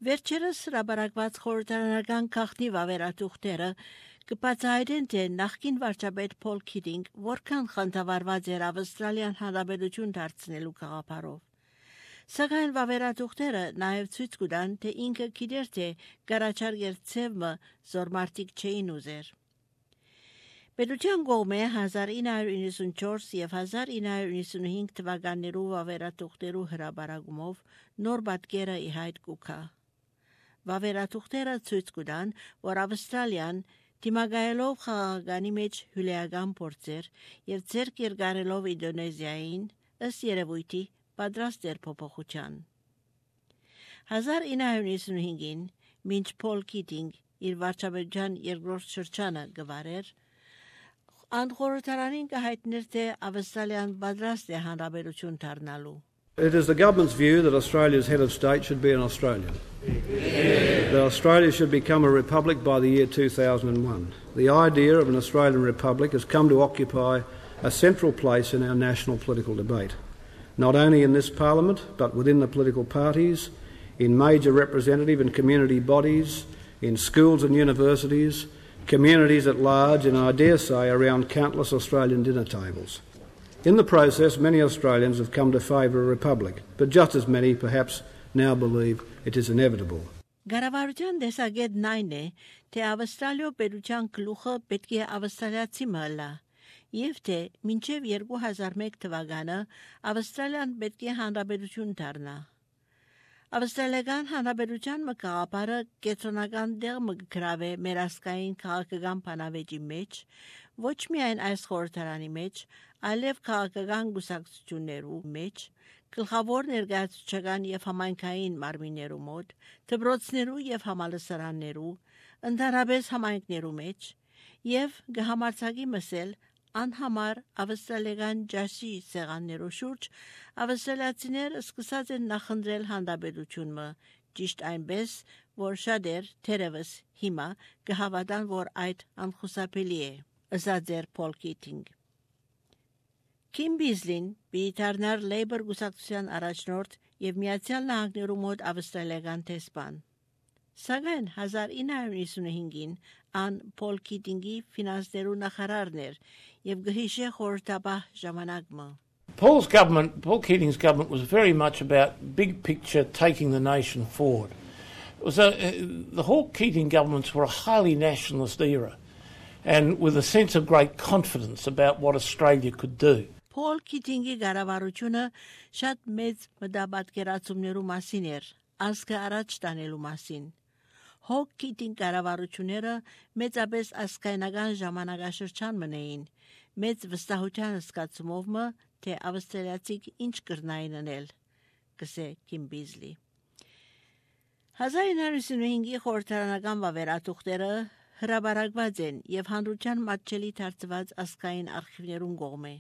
Վերջերս հրապարակված խորհրդարանական գաղտնի վավերաթուղթերը կբացահայտեն, թե նախկին վարչապետ Փոլ Քիթինգ որքան խանդավառված էր Ավստրալիան հանրապետություն դարձնելու գաղափարով։ Սակայն վավերաթուղթերը նաև ցույց կտան, թե ինքը գիտեր, թե կառաջարկել ցևը զորմարտիկ չէին ուզեր։ Պետության կողմէ 1994 եւ 1995 թվականներու վավերաթուղթերու հրապարակումով նոր պատկերը ի հայտ կուքա։ Վավերաթուղթերը ցույց կտան, որ Ավստրալիան դիմակայելով խաղաղականի մեջ հյուրեական փորձեր եւ ձեռք երկարելով Ինդոնեզիային ըստ երևույթի պատրաստ էր փոփոխության։ 1995-ին մինչ Փոլ Քիթինգ իր վարչապետության երկրորդ շրջանը գվարեր, Անդխորհրդարանին կհայտներ, թե Ավստրալիան պատրաստ է հանրապետություն դառնալու։ It is the government's view that Australia's head of state should be an Australian. That Australia should become a republic by the year 2001. The idea of an Australian republic has come to occupy a central place in our national political debate, not only in this parliament, but within the political parties, in major representative and community bodies, in schools and universities, communities at large, and I dare say around countless Australian dinner tables. In the process, many Australians have come to favour a republic, but just as many perhaps now believe it is inevitable. Գարավարության դեսագետն այն է, թե Ավստրալիո պետության գլուխը պետք է ավստրալիացի մըլա, եւ թե մինչեւ 2001 թվականը Ավստրալիան պետք է հանրապետություն դառնա։ Ավստրալիական հանրապետության մկաղապարը կենտրոնական դեր մգրավե մեր ասկային քաղաքական բանավեճի մեջ, ոչ միայն այս խորհրդարանի մեջ, այլև քաղաքական գուսակցություններու մեջ, գլխավոր ներկայացուցչական եւ համայնքային մարմիններու մոտ, դպրոցներու եւ համալսարաններու, ընդհանրապես համայնքներու մեջ, եւ գհամարցակի մսել անհամար ավստրալիական ջասի սեղաններու շուրջ ավստրալիացիներ սկսած են նախընտրել հանրապետությունը, ճիշտ այնպես, որ շատեր թերևս հիմա կհավատան, որ այդ անխուսափելի է, ըսած էր Փոլ Քիթինգ։ Քիմ Բիզլին բիթարնար Լեյբոր գուսակցության առաջնորդ եւ Միացյալ Նահանգներու մոտ ավստրալիական տեսփան։ Սակայն 1995-ին ան Փոլ Քիթինգի ֆինանսներու նախարարն էր եւ գհիշե խորհրդապահ ժամանակը։ Paul Keating's government was very much about big picture, taking the nation forward. It was the Hawke Keating governments were a highly nationalist era, and with a sense of great confidence about what Australia could do. Փոլ Քիթինգի գարավարությունը շատ մեծ մտաբատկերացումներու մասին էր, ազգը առաջ տանելու մասին։ Հոկ Քիթինգ գարավարությունները մեծապես ազգայնական ժամանակաշրջան մնային, մեծ վստահության զգացումով մը, թե ավստրալիացիք ինչ կրնային անել, կսե Քիմ Բիզլի։ 1995-ի խորհրդարանական վավերաթուղթերը հրապարակված են եւ հանրության մատչելի դարձված ազգային արխիվներուն կողմէ։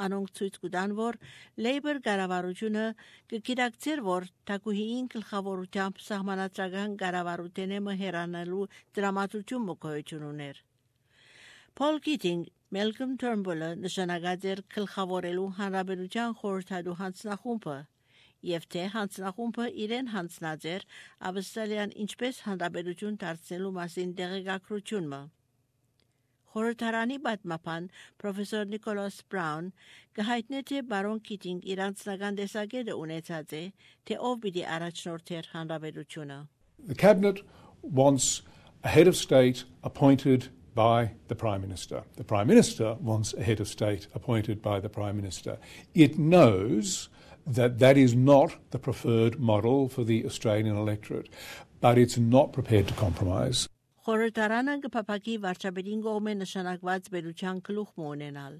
Անոնք ցույց կտան, որ Լեյբոր կառավարությունը կգիտակցեր, որ թագուհիին գլխավորությամբ սահմանադրական կառավարութենը մհերանալու դրամատուրգիում մոկայություն ուներ։ Փոլ Քիթինգ Մելկոմ Թըրնբուլը նշանակած էր գլխավորելու հանրապետության խորհրդատու հանձնախումբը, եւ թե հանձնախումբը իրեն հանձնած էր Ավստրալիան ինչպես հանրապետություն դարձնելու մասին տեղեկատվությունը։ Խորհրդարանի պատմապան պրոֆեսոր Նիկոլաս Բրաուն կհայտնի, թե բարոն Քիթինգ իր անձնական տեսակետը ունեցած է, թե ով պիտի առաջնորդեր հանրապետությունը։ The cabinet wants a head of state appointed by the Prime Minister. The Prime Minister wants a head of state appointed by the Prime Minister. It knows that that is not the preferred model for the Australian electorate, but it's not prepared to compromise. Խորհրդարանը կփափակի վարչապետին կողմէ նշանակված պետության գլուխ ունենալ։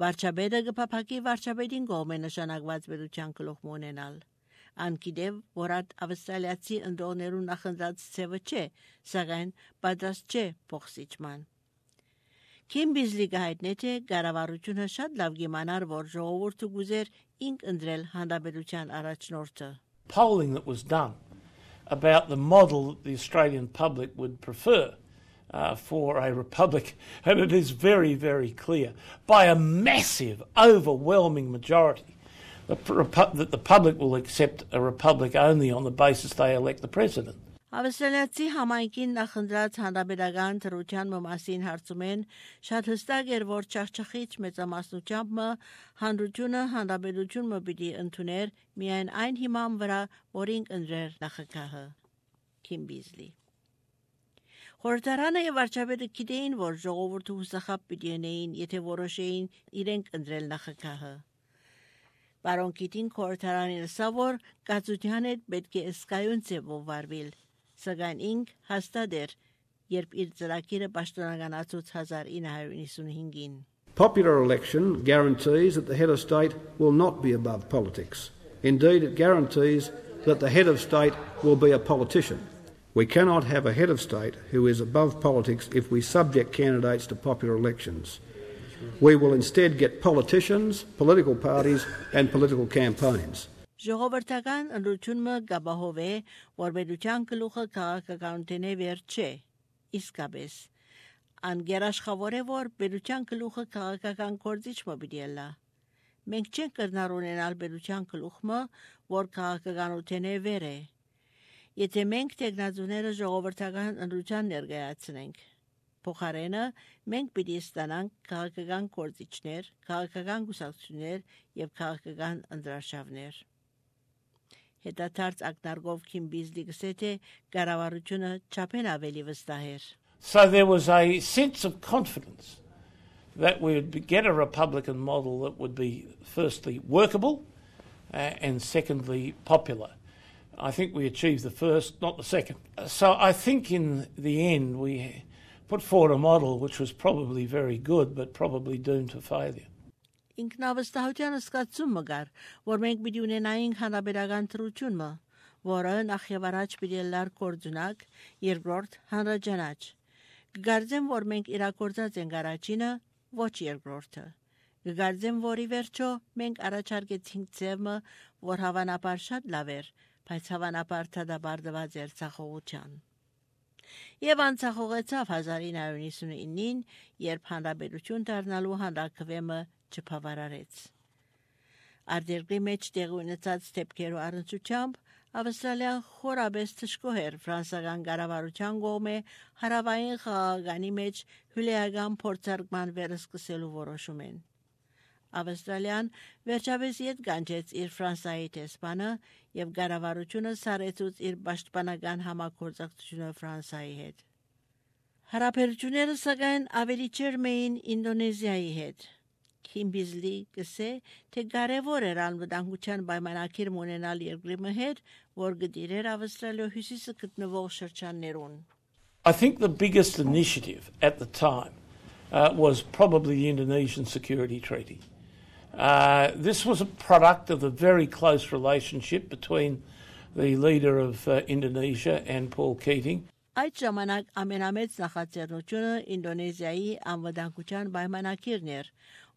Վարչապետը կփափակի վարչապետին կողմէ նշանակված պետության գլուխ ունենալ։ Անկիդև, որ ավստրալիացի ընդողներու նախընտրած ցևը չէ, սակայն պատրաստ չէ փոխսիջման։ Քիմ Բիզլի կհայտնի, թե կառավարությունը շատ լավ գիմանար, որ ժողովուրդը գուզեր ինք ընտրել հանրապետության առաջնորդը։ Polling that was done about the model that the Australian public would prefer for a republic, and it is very, very clear, by a massive, overwhelming majority, that the public will accept a republic only on the basis they elect the president. Ավստրալիացի համայնքին նախընտրած հանրապետական թռության մասին հարցում են շատ հստակ էր, որ չախչախիչ մեծամասնությամբ հանրությունը հանրապետությունը պիտի ընդուներ միայն այն հիման վրա, որին ընտրեր նախագահը Քիմ Բիզլի։ Խորհրդարանը եւ վարչապետը գիտեին, որ ժողովուրդը հուսախաբ պիտի ունեին, եթե որոշեին իրենք ընտրել նախագահը։ Պարոն Կիտին խորհրդարանին ասա, որ կացության հետ պետք է ըսկայուն ձևով վարվել, սակայն ինք հաստատ էր, երբ իր ծրագիրը պաշտոնականացուց 1995-ին։ Popular election guarantees that the head of state will not be above politics. Indeed, it guarantees that the head of state will be a politician. We cannot have a head of state who is above politics if we subject candidates to popular elections. We will instead get politicians, political parties and political campaigns. Ժողովրդական ընտրությունը գաբահով է, որ պետության գլուխը քաղաքականությունի վեր չէ, իսկապես։ Անգերաշխավոր է, որ պետության գլուխը քաղաքական գործիչը պիտի լա։ Մենք չենք կրնար ունենալ պետության գլուխը, որ քաղաքականությունի վեր է։ Եթե մենք տեխնազուները ժողովրդական ընտրության ներկայացնենք, փոխարենը մենք պիտի ստանանք քաղաքական գործիչներ, քաղաքական գուսակցություններ եւ քաղաքական ընտրաշավներ։ Հետադարձ ակնարկով Քիմ Բիզլի գսեթե կառավարությունը չափեն ավելի վստահ էր։ So there was a sense of confidence that we would get a Republican model that would be firstly workable and secondly popular. I think we achieved the first, not the second. So I think in the end we put forward a model which was probably very good but probably doomed to failure. Ինքնավստահության սկացումը գար, որ մենք պիտի ունենայինք հանրապետական թռությունը, որը նախ եւ առաջ պիտի լար կորձունակ, երկրորդ հանրաճանաչ։ Գարձեմ, որ մենք իրակորձած ենք առաջինը, ոչ երկրորդը։ Գարձեմ, որ ի վերջո մենք առաջարկեցինք ձևը, որ հավանաբար շատ լավ էր, բայց հավանաբար դադարված էր ցախողության։ Եվ անցախողեցավ 1999-ին, երբ հանրապետություն դառնալու հանրակրվեմը չփավարարեց։ Արտերկրի մեջ տեղի ունեցած դեպքերու առնչությամբ Ավստրալիան խորաբես թշկող էր ֆրանսական կառավարության կողմէ հարավային խաղաղանի մեջ հյուրեական փորձարկման վերսկսելու որոշումեն։ Ավստրալիան վերջապես ետ կանչեց իր Ֆրանսիայի տեսփանը եւ կառավարությունը սարեցուց իր պաշտպանական համագործակցությունը Ֆրանսիայի հետ։ Հարաբերությունները սակայն ավելի ջերմ էին Ինդոնեզիայի հետ։ Քիմ Բիզլի գսե, թե կարևոր էր անվտանգության պայմանագիր ունենալ երկրի հետ, որ գտիրեր Ավստրալիա հյուսիսը գտնվող շրջաններուն։ I think the biggest initiative at the time was probably the Indonesian Security Treaty. This was a product of the very close relationship between the leader of Indonesia and Paul Keating. Այդ ժամանակ ամենամեծ նախաձեռնությունը Ինդոնեզիայի անվտանգության պայմանագիրն էր,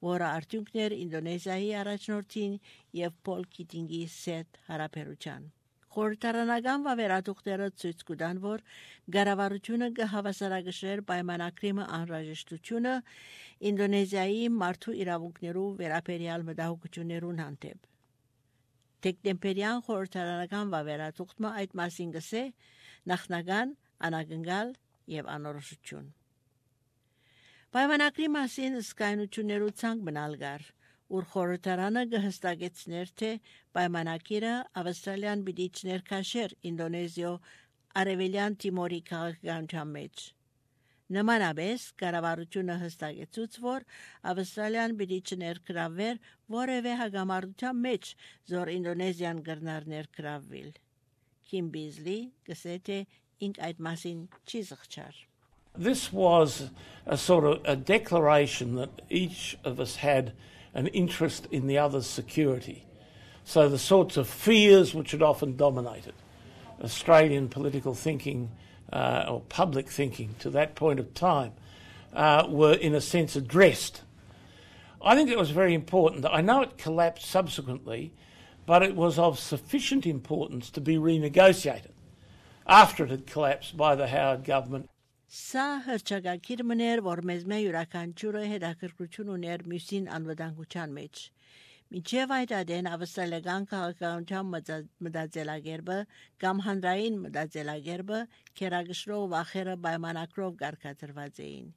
որը արդյունքն էր Ինդոնեզիայի առաջնորդին եւ Պոլ Քիթինգի սետ հարաբերության։ Խորհրդարանական վավերատուղթերը ցույց կտան, որ կառավարությունը կհավասարակշռեր պայմանագրի անհրաժեշտությունը Ինդոնեզիայի մարդու իրավունքներու վերաբերյալ մտահոգություններուն հանդեպ։ Դեկտեմբերյան խորհրդարանական վավերատուղթը այդ մասին գսե նախնական անագնգալ եւ անորոշություն։ Պայմանագրի մասին սկայնություններու ցանկ մնալ գար, ուր խորհրդարանը կհստակեցներ, թե պայմանագիրը Ավստրալիան պիտի չներքաշեր Ինդոնեզիա արևելյան Տիմորի քաղաքականության մեջ։ Նմանապես կառավարությունը հստակեցուց, որ Ավստրալիան պիտի չներկրավեր որևէ հագամարտության մեջ, զոր Ինդոնեզիան կրնար ներկրավել։ Քիմ Բիզլի գսե թե ինք այդ մասին չի զղջար։ This was a sort of a declaration that each of us had an interest in the other's security. So the sorts of fears which had often dominated Australian political thinking or public thinking to that point of time were in a sense addressed. I think it was very important. I know it collapsed subsequently, but it was of sufficient importance to be renegotiated after it had collapsed by the Howard government. Սա հրճակագիր մներ, որ մեզ մե յուրաքանչյուրը հետաքրքրություն ուներ մյուսին անվտանգության մեջ։ Մինչև այդ ադեն ավստրալիական քաղաքականության մտածելակերպը կամ հանրային մտածելակերպը քերագշրով վախերը պայմանակրով կարգադրված էին։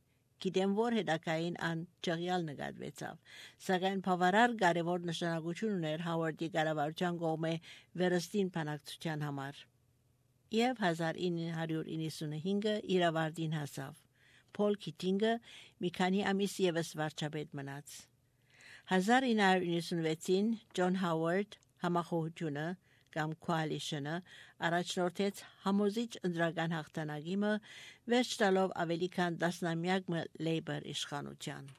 Գիտեմ, որ հետակային ան ճղյալ նկատվեցավ, սակայն բավարար կարևոր նշանակություն ուներ Հավարդի կառավարության կողմէ վերստին բանակցության համար։ Եվ 1995-ը իր ավարտին հասավ։ Փոլ Քիթինգը մի քանի ամիս ևս վարչապետ մնաց։ 1996-ին Ջոն Հավարդ համախոհությունը կամ coalition-ը առաջնորդեց համոզիչ ընտրական հաղթանակը, վերջ տալով ավելի քան 10 ամյակ Լեյբեր իշխանության։